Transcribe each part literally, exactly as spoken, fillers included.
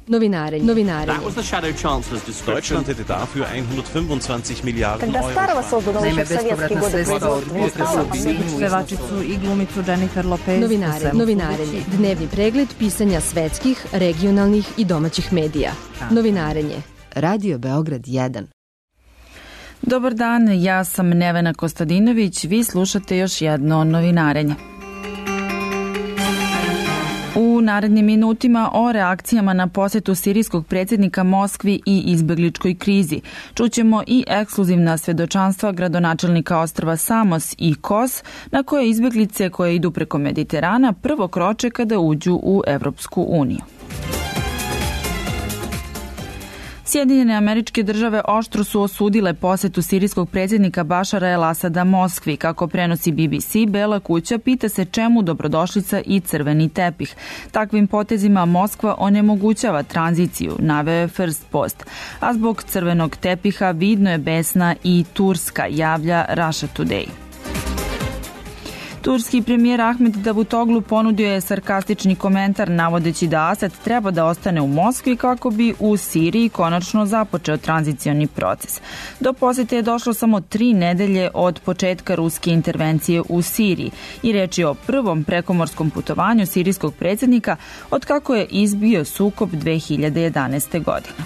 Novinarenje. Novinarenje. That was the shadow chancellor's description. Deutschland hätte dafür hundertfünfundzwanzig Miliarden Когда старого создано еще в советские годы производства. Pevačicu i glumicu Jennifer Lopez. Novinare, novinarenje. Dnevni pregled pisanja svetskih, regionalnih i domaćih medija. Novinarenje. Radio Beograd jedan. Dobar dan, ja sam Nevena Kostadinović, vi slušate još jedno novinarenje. U narednim minutima o reakcijama na posetu sirijskog predsjednika Moskvi i izbegličkoj krizi. Čućemo i ekskluzivna svedočanstva gradonačelnika ostrva Samos i Kos, na koje izbeglice koje idu preko Mediterana prvo kroče kada uđu u Evropsku uniju. Sjedinjene Američke Države oštro su osudile posetu sirijskog predsjednika Bašara el-Asada Moskvi. Kako prenosi B B C, Bela kuća pita se čemu dobrodošlica i crveni tepih. Takvim potezima Moskva onemogućava tranziciju, naveo je First Post. A zbog crvenog tepiha vidno je besna i Turska, javlja Russia Today. Turski premijer Ahmed Davutoglu ponudio je sarkastični komentar navodeći da Asad treba da ostane u Moskvi kako bi u Siriji konačno započeo tranzicioni proces. Do posete je došlo samo tri nedelje od početka ruske intervencije u Siriji i reč je o prvom prekomorskom putovanju sirijskog predsjednika od kako je izbio sukob dve hiljade jedanaeste. godine.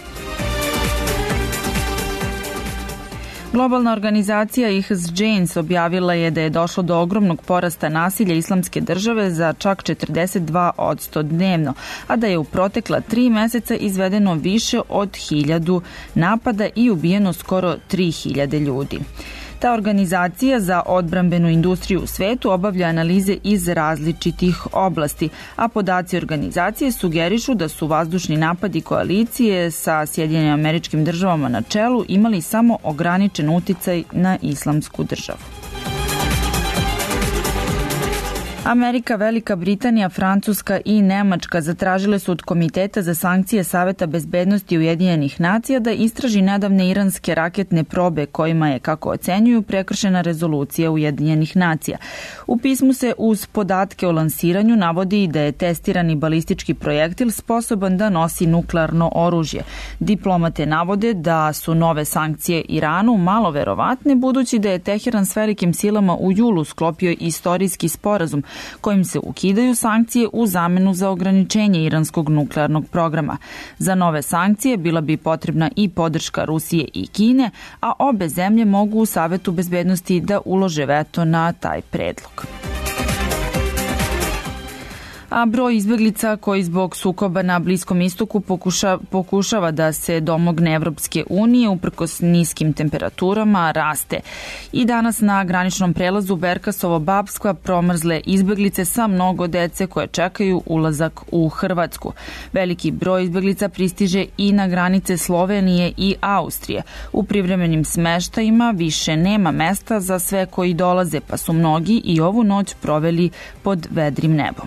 Globalna organizacija I H S Janes objavila je da je došlo do ogromnog porasta nasilja Islamske države za čak četrdeset dva posto dnevno, a da je u protekla tri meseca izvedeno više od hiljadu napada i ubijeno skoro tri hiljade ljudi. Ta organizacija za odbrambenu industriju u svetu obavlja analize iz različitih oblasti, a podaci organizacije sugerišu da su vazdušni napadi koalicije sa Sjedinjenim Američkim Državama na čelu imali samo ograničen uticaj na Islamsku državu. Amerika, Velika Britanija, Francuska i Nemačka zatražile su od Komiteta za sankcije Saveta bezbednosti Ujedinjenih nacija da istraži nedavne iranske raketne probe kojima je, kako ocenjuju, prekršena rezolucija Ujedinjenih nacija. U pismu se uz podatke o lansiranju navodi da je testirani balistički projektil sposoban da nosi nuklearno oružje. Diplomate navode da su nove sankcije Iranu malo verovatne budući da je Teheran s velikim silama u julu sklopio istorijski sporazum kojim se ukidaju sankcije u zamenu za ograničenje iranskog nuklearnog programa. Za nove sankcije bila bi potrebna i podrška Rusije i Kine, a obe zemlje mogu u Savetu bezbednosti da ulože veto na taj predlog. A broj izbeglica koji zbog sukoba na Bliskom istoku pokuša, pokušava da se domogne Evropske unije uprkos niskim temperaturama raste. I danas na graničnom prelazu Berkasovo-Babska promrzle izbeglice sa mnogo dece koje čekaju ulazak u Hrvatsku. Veliki broj izbeglica pristiže i na granice Slovenije i Austrije. U privremenim smeštajima više nema mesta za sve koji dolaze, pa su mnogi i ovu noć proveli pod vedrim nebom.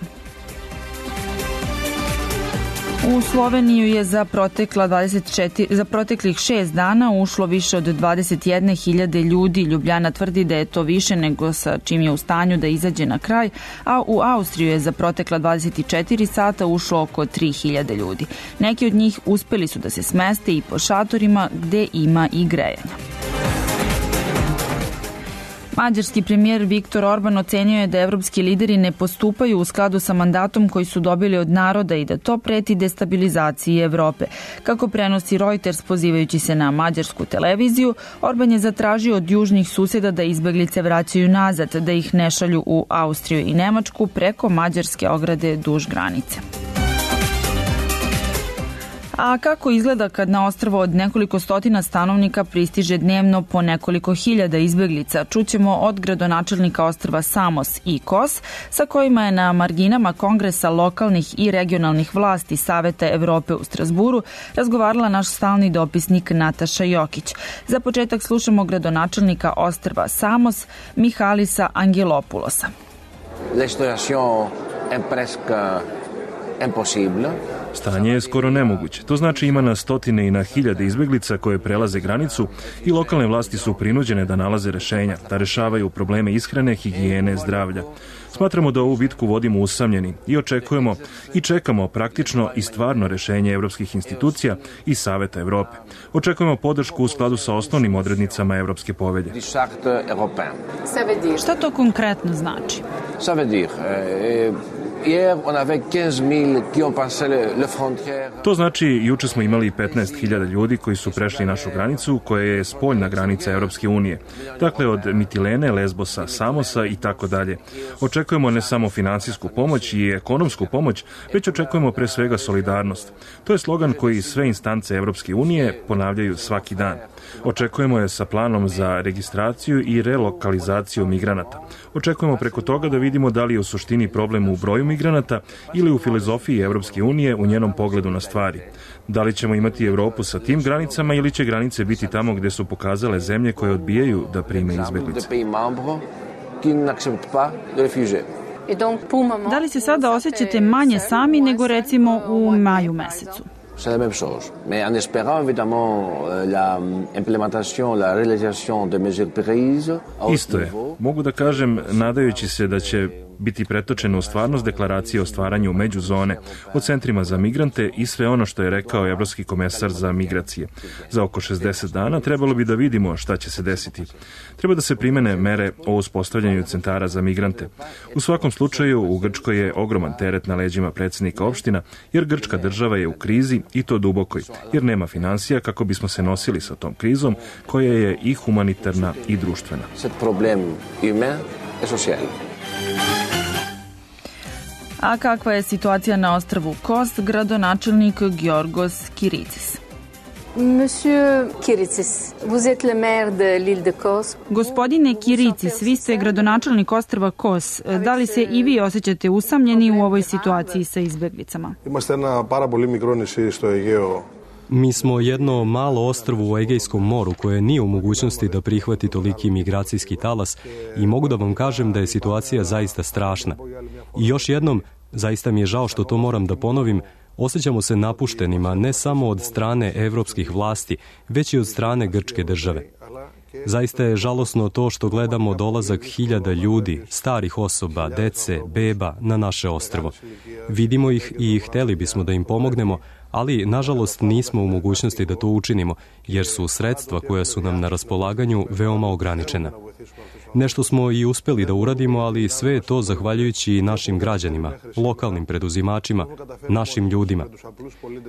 U Sloveniju je za, protekla dvadeset četiri, za proteklih šest dana ušlo više od dvadeset jedne hiljade ljudi. Ljubljana tvrdi da je to više nego sa čim je u stanju da izađe na kraj, a u Austriju je za protekla dvadeset četiri sata ušlo oko tri hiljade ljudi. Neki od njih uspeli su da se smeste i po šatorima gde ima i grejanja. Mađarski premijer Viktor Orban ocenio je da evropski lideri ne postupaju u skladu sa mandatom koji su dobili od naroda i da to preti destabilizaciji Evrope. Kako prenosi Reuters pozivajući se na mađarsku televiziju, Orban je zatražio od južnih susjeda da izbeglice vraćaju nazad, da ih ne šalju u Austriju i Nemačku preko mađarske ograde duž granice. A kako izgleda kad na ostrvo od nekoliko stotina stanovnika pristiže dnevno po nekoliko hiljada izbeglica? Čućemo od gradonačelnika ostrva Samos i Kos, sa kojima je na marginama kongresa lokalnih i regionalnih vlasti Saveta Evrope u Strasburu razgovarala naš stalni dopisnik Nataša Jokić. Za početak slušamo gradonačelnika ostrva Samos, Mihalisa Angelopulosa. La situation est presque impossible. Stanje je skoro nemoguće. To znači ima na stotine i na hiljade izbeglica koje prelaze granicu i lokalne vlasti su prinuđene da nalaze rešenja, da rešavaju probleme ishrane, higijene, zdravlja. Smatramo da ovu bitku vodimo usamljeni i očekujemo i čekamo praktično i stvarno rešenje evropskih institucija i Saveta Evrope. Očekujemo podršku u skladu sa osnovnim odrednicama Evropske povelje. Šta to konkretno znači? To znači, juče smo imali petnaest hiljada ljudi koji su prešli našu granicu, koja je spoljna granica Evropske unije. Dakle, od Mitilene, Lesbosa, Samosa i tako dalje. Očekujemo ne samo finansijsku pomoć i ekonomsku pomoć, već očekujemo pre svega solidarnost. To je slogan koji sve instance Evropske unije ponavljaju svaki dan. Očekujemo je sa planom za registraciju i relokalizaciju migranata. Očekujemo preko toga da vidimo da li je u suštini problem u broju migranata ili u filozofiji Evropske unije u njenom pogledu na stvari. Da li ćemo imati Evropu sa tim granicama ili će granice biti tamo gde su pokazale zemlje koje odbijaju da prime izbeglice. Da li se sada osjećate manje sami nego recimo u maju mesecu? C'est la même chose. Mais en espérant évidemment la implémentation, la réalisation de mesures prises. Isto je. Mogu da kažem, nadajući se da će biti pretočeno u stvarnost deklaracije o stvaranju međuzone, o centrima za migrante i sve ono što je rekao Evropski komesar za migracije. Za oko šezdeset dana trebalo bi da vidimo šta će se desiti. Treba da se primene mere o uspostavljanju centara za migrante. U svakom slučaju, u Grčkoj je ogroman teret na leđima predsjednika opština, jer Grčka država je u krizi i to dubokoj, jer nema finansija kako bismo se nosili sa tom krizom koja je i humanitarna i društvena. Cet problème humain et social. A kakva je situacija na ostrvu Kos, gradonačelnik Giorgos Kiricis? Monsieur Kiricis, vous êtes le maire de l'île de Kos. Gospodine Kiricis, vi ste gradonačelnik ostrva Kos. Da li se i vi osjećate usamljeni u ovoj situaciji sa izbeglicama? Είμαστε ένα πάρα πολύ μικρό νησί στο Αιγαίο. Mi smo jedno malo ostrvo u Egejskom moru koje nije u mogućnosti da prihvati toliki migracijski talas i mogu da vam kažem da je situacija zaista strašna. I još jednom, zaista mi je žao što to moram da ponovim, osjećamo se napuštenima ne samo od strane evropskih vlasti, već i od strane grčke države. Zaista je žalosno to što gledamo dolazak hiljada ljudi, starih osoba, dece, beba na naše ostrvo. Vidimo ih i hteli bismo da im pomognemo, ali nažalost nismo u mogućnosti da to učinimo, jer su sredstva koja su nam na raspolaganju veoma ograničena. Nešto smo i uspeli da uradimo, ali sve je to zahvaljujući našim građanima, lokalnim preduzimačima, našim ljudima.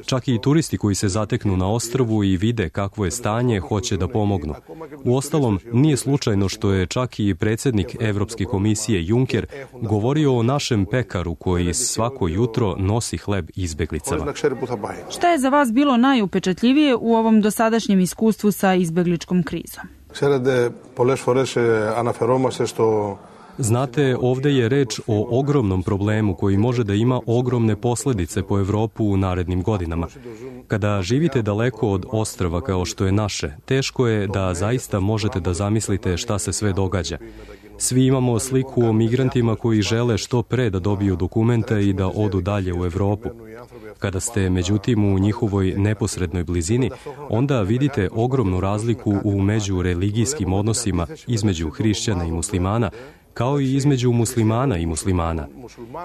Čak i turisti koji se zateknu na ostrvu i vide kakvo je stanje, hoće da pomognu. Uostalom, nije slučajno što je čak i predsjednik Evropske komisije Juncker govorio o našem pekaru koji svako jutro nosi hleb izbeglicama. Šta je za vas bilo najupečatljivije u ovom dosadašnjem iskustvu sa izbegličkom krizom? Znate, ovde je reč o ogromnom problemu koji može da ima ogromne posledice po Evropu u narednim godinama. Kada živite daleko od ostrva kao što je naše, teško je da zaista možete da zamislite šta se sve događa. Svi imamo sliku o migrantima koji žele što pre da dobiju dokumente i da odu dalje u Evropu. Kada ste, međutim, u njihovoj neposrednoj blizini, onda vidite ogromnu razliku u međureligijskim odnosima između hrišćana i muslimana, kao i između muslimana i muslimana.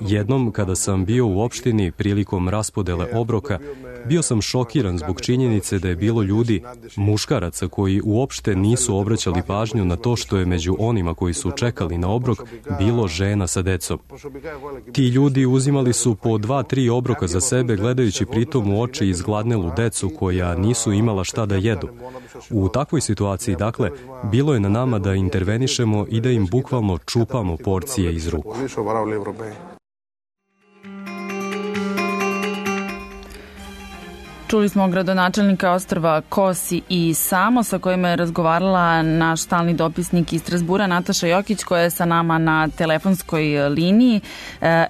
Jednom, kada sam bio u opštini prilikom raspodele obroka, bio sam šokiran zbog činjenice da je bilo ljudi, muškaraca koji uopšte nisu obraćali pažnju na to što je među onima koji su čekali na obrok bilo žena sa decom. Ti ljudi uzimali su po dva, tri obroka za sebe, gledajući pritom u oči izgladnelu decu koja nisu imala šta da jedu. U takvoj situaciji, dakle, bilo je na nama da intervenišemo i da im bukvalno čupamo porcije iz ruku. Čuli smo gradonačelnika ostrva Kosi i Samo sa kojima je razgovarala naš stalni dopisnik iz Strazbura Nataša Jokić koja je sa nama na telefonskoj liniji.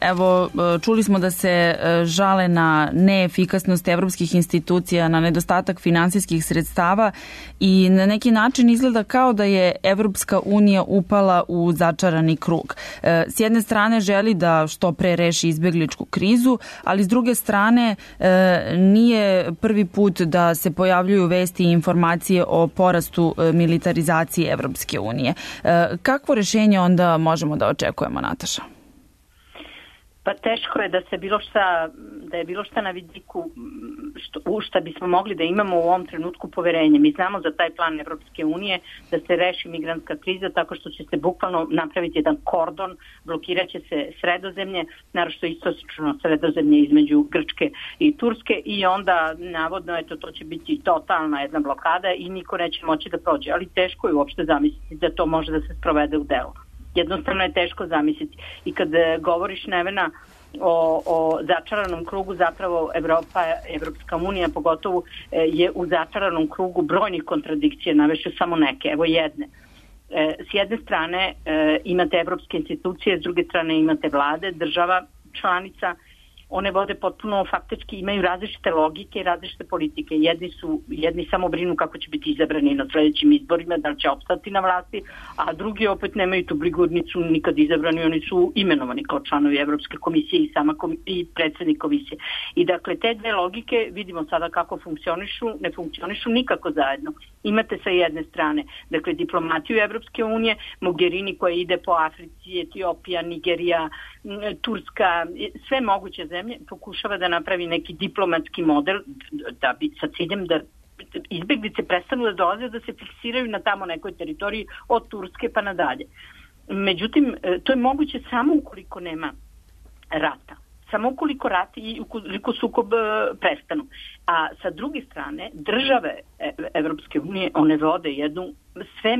Evo, čuli smo da se žale na neefikasnost evropskih institucija, na nedostatak finansijskih sredstava i na neki način izgleda kao da je Evropska unija upala u začarani krug. S jedne strane želi da što pre reši izbegličku krizu, ali s druge strane nije prvi put da se pojavljuju vesti i informacije o porastu militarizacije Evropske unije. Kakvo rešenje onda možemo da očekujemo, Nataša? Pa teško je da se bilo šta, da je bilo šta na vidiku što, u šta bismo mogli da imamo u ovom trenutku poverenje. Mi znamo za taj plan Evropske unije da se reši migrantska kriza tako što će se bukvalno napraviti jedan kordon, blokiraće se Sredozemlje, naročito istočno Sredozemlje između Grčke i Turske i onda navodno eto, to će biti totalna jedna blokada i niko neće moći da prođe. Ali teško je uopšte zamisliti da to može da se sprovede u delo. Jednostavno je teško zamisliti. I kad govoriš, Nevena, o, o začaranom krugu, zapravo Evropa, Evropska unija pogotovo je u začaranom krugu brojnih kontradikcija, navešću samo neke, evo jedne. S jedne strane imate evropske institucije, s druge strane imate vlade, država, članica, one vode potpuno faktički, imaju različite logike i različite politike. Jedni su, jedni samo brinu kako će biti izabrani na sledećim izborima, da li će opstati na vlasti, a drugi opet nemaju tu brigurnicu nikad izabrani, oni su imenovani kao članovi Evropske komisije i sama komi- i predsjednik komisije. I dakle, te dve logike vidimo sada kako funkcionišu, ne funkcionišu nikako zajedno. Imate sa jedne strane, dakle, diplomatiju Evropske unije, Mogherini koja ide po Africi, Etiopija, Nigerija, Turska, sve moguće zemlje, pokušava da napravi neki diplomatski model da bi, sa ciljem da izbeglice prestanu da dolaze, da se fiksiraju na tamo nekoj teritoriji od Turske pa nadalje. Međutim, to je moguće samo ukoliko nema rata. Samo ukoliko rat i ukoliko sukob prestanu. A sa druge strane, države Evropske unije, one vode jednu sve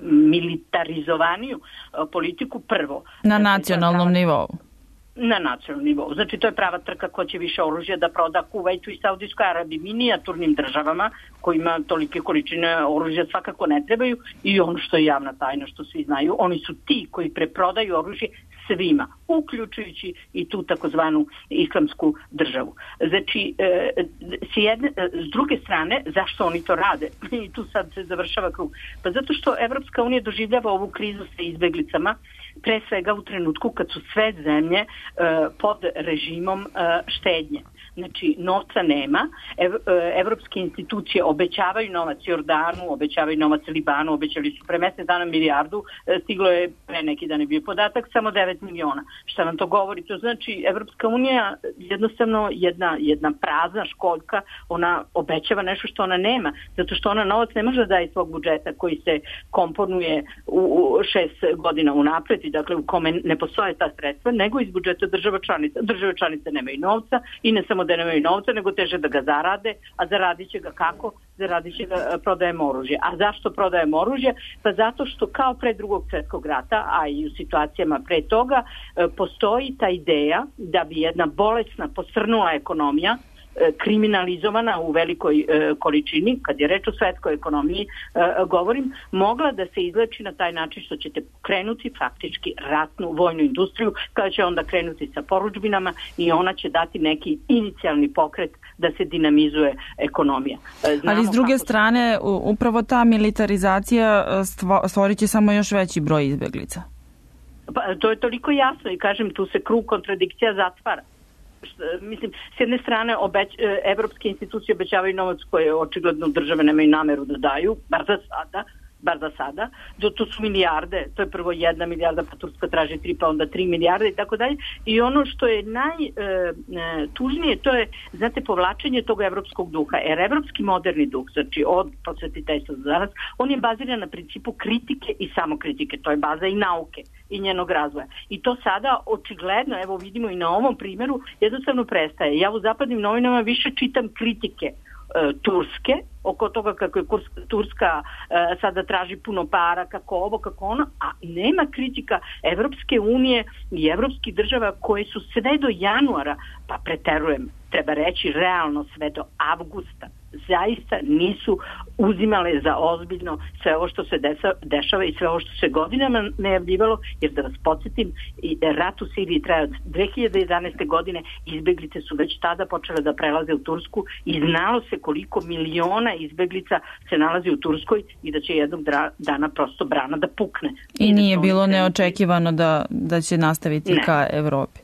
militarizovaniju politiku prvo. Na nacionalnom nivou. Na nacionalnom nivou. Znači, to je prava trka ko će više oružja da proda Kuvajtu i Saudijskoj Arabiji, minijaturnim državama kojima tolike količine oružja svakako ne trebaju i ono što je javna tajna, što svi znaju, oni su ti koji preprodaju oružje svima, uključujući i tu takozvanu islamsku državu. Znači, e, s, jedne, s druge strane, zašto oni to rade? I tu sad se završava krug. Pa zato što Evropska unija doživljava ovu krizu sa izbeglicama, pre svega u trenutku kad su sve zemlje e, pod režimom e, štednje. Znači, novca nema, Ev, evropske institucije obećavaju novac Jordanu, obećavaju novac Libanu, obećali su pre mesec dana milijardu, stiglo je pre neki dan je bio podatak, samo devet miliona. Šta nam to govori? To znači, Evropska unija jednostavno jedna, jedna prazna školjka, ona obećava nešto što ona nema, zato što ona novac ne može da daje svog budžeta koji se komponuje u, u šest godina unapred i dakle u kome ne postoje ta sredstva, nego iz budžeta država članica. Države članice nemaju novca i ne samo da nemaju novca, nego teže da ga zarade, a zaradit će ga kako? Zaradit će ga prodajemo oružje. A zašto prodajemo oružje? Pa zato što kao pre drugog svjetskog rata, a i u situacijama pre toga, postoji ta ideja da bi jedna bolesna, posrnula ekonomija, kriminalizovana u velikoj e, količini, kad je reč o svetskoj ekonomiji, e, govorim, mogla da se izleči na taj način što ćete krenuti faktički ratnu vojnu industriju, kada će onda krenuti sa poručbinama i ona će dati neki inicijalni pokret da se dinamizuje ekonomija. Znamo ali s druge kako... strane, upravo ta militarizacija stvorit će samo još veći broj izbeglica. Pa, to je toliko jasno i kažem, tu se krug kontradikcija zatvara. Mislim, s jedne strane obeć, evropske institucije obećavaju novac koje očigledno države nemaju nameru da daju, bar za sada, bar za sada, to su milijarde, to je prvo jedna milijarda, pa Turska traži tri, pa onda tri milijarde i tako dalje. I ono što je najtužnije, to je, znate, povlačenje tog evropskog duha. Jer evropski moderni duh, znači od prosvetiteljstva do danas, on je baziran na principu kritike i samokritike. To je baza i nauke i njenog razvoja. I to sada očigledno, evo vidimo i na ovom primjeru, jednostavno prestaje. Ja u zapadnim novinama više čitam kritike Turske, oko toga kako je Turska e, sada traži puno para, kako ovo, kako ono, a nema kritika Evropske unije i evropskih država koje su sve do januara, pa preterujem, treba reći realno sve do avgusta, zaista nisu uzimale za ozbiljno sve ovo što se desa, dešava i sve ovo što se godinama najavljivalo, jer da vas podsjetim, rat u Siriji traje od dve hiljade jedanaeste godine, izbeglice su već tada počele da prelaze u Tursku i znalo se koliko miliona izbeglica se nalazi u Turskoj i da će jednog dana prosto brana da pukne. I, I nije bilo neočekivano da, da će nastaviti ne. ka Evropi.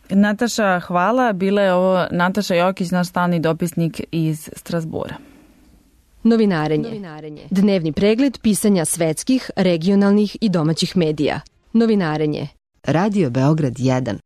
Nataša, hvala. Bila je ovo Nataša Jokić, naš stalni dopisnik iz Strasbura. Novinarenje. Novinarenje. Dnevni pregled pisanja svetskih, regionalnih i domaćih medija. Novinarenje. Radio Beograd jedan.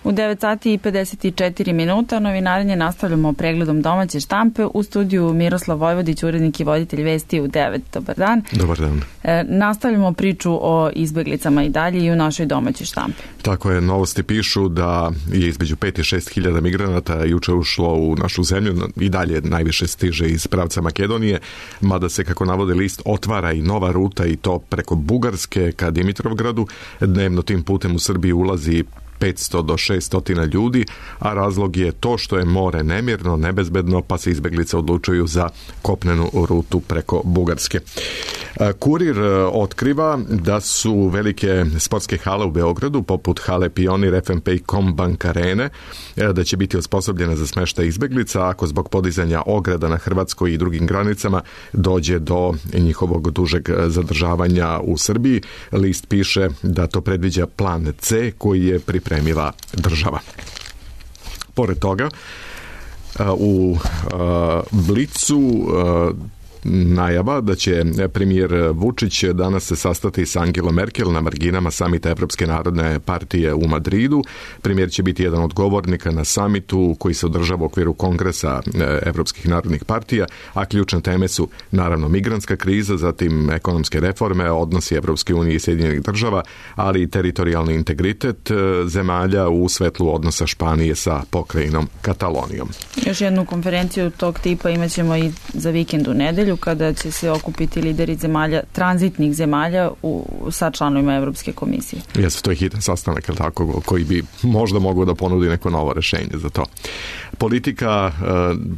U devet sati i pedeset četiri minuta novinarenje nastavljamo pregledom domaće štampe. U studiju Miroslav Vojvodić, urednik i voditelj vesti u devet. Dobar dan. Dobar dan. E, nastavljamo priču o izbeglicama i dalje i u našoj domaćoj štampi. Tako je, novosti pišu da je između pet i šest hiljada migranata juče ušlo u našu zemlju, i dalje najviše stiže iz pravca Makedonije, mada se, kako navode list, otvara i nova ruta i to preko Bugarske ka Dimitrovgradu. Dnevno tim putem u Srbiji ulazi petsto do šesto ljudi, a razlog je to što je more nemirno, nebezbedno, pa se izbeglice odlučuju za kopnenu rutu preko Bugarske. Kurir otkriva da su velike sportske hale u Beogradu, poput hale Pionir, F M P i Combank Arene, da će biti osposobljena za smeštaj izbeglica ako zbog podizanja ograda na hrvatskoj i drugim granicama dođe do njihovog dužeg zadržavanja u Srbiji. List piše da to predviđa plan C koji je pripremila država. Pored toga, u Blicu najava da će premijer Vučić danas se sastati sa Angelom Merkel na marginama samita Evropske narodne partije u Madridu. Premijer će biti jedan od govornika na samitu koji se održava u okviru Kongresa Evropskih narodnih partija, a ključne teme su naravno migrantska kriza, zatim ekonomske reforme, odnosi Evropske unije i Sjedinjenih država, ali i teritorijalni integritet zemalja u svetlu odnosa Španije sa pokrajinom Katalonijom. Još jednu konferenciju tog tipa imaćemo i za vikend u nedelju, kada će se okupiti lideri zemalja, tranzitnih zemalja u, sa članovima Evropske komisije. Jesu, to je hitan sastanak, tako, koji bi možda mogao da ponudi neko novo rešenje za to. Politika e,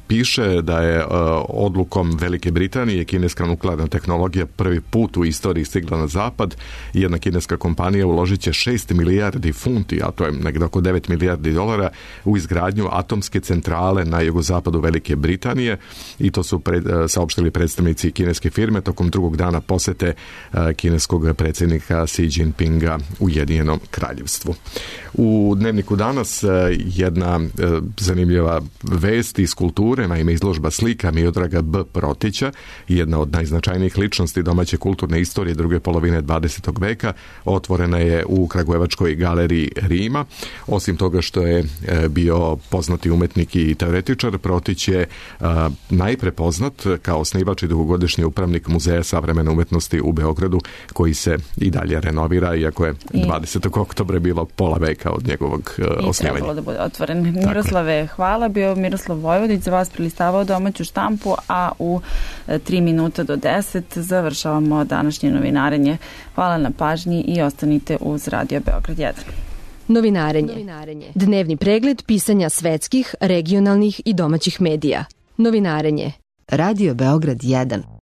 piše da je e, odlukom Velike Britanije kineska nuklearna tehnologija prvi put u istoriji stigla na zapad. Jedna kineska kompanija uložit će šest milijardi funti, a to je negdje oko devet milijardi dolara, u izgradnju atomske centrale na jugozapadu Velike Britanije, i to su pred, saopštili predstavnici kineske firme tokom drugog dana posete kineskog predsjednika Xi Jinpinga Ujedinjenom kraljevstvu. U Dnevniku danas jedna zanimljiva vest iz kulture, naime izložba slika Miodraga B. Protića, jedna od najznačajnijih ličnosti domaće kulturne istorije druge polovine dvadesetog veka, otvorena je u Kragujevačkoj galeriji Rima. Osim toga što je bio poznati umetnik i teoretičar, Protić je najpre poznat kao osnivač i dugogodišnji upravnik Muzeja savremene umetnosti u Beogradu, koji se i dalje renovira, iako je dvadesetog oktobra bilo pola veka od njegovog uh, osnivanja. I trebalo da bude otvoren. Miroslave, hvala. Bio Miroslav Vojvodić za vas prilistavao domaću štampu, a u tri minuta do deset završavamo današnje novinarenje. Hvala na pažnji i ostanite uz Radio Beograd jedan. Novinarenje. Novinarenje. Dnevni pregled pisanja svetskih, regionalnih i domaćih medija. Novinarenje. Radio Beograd jedan.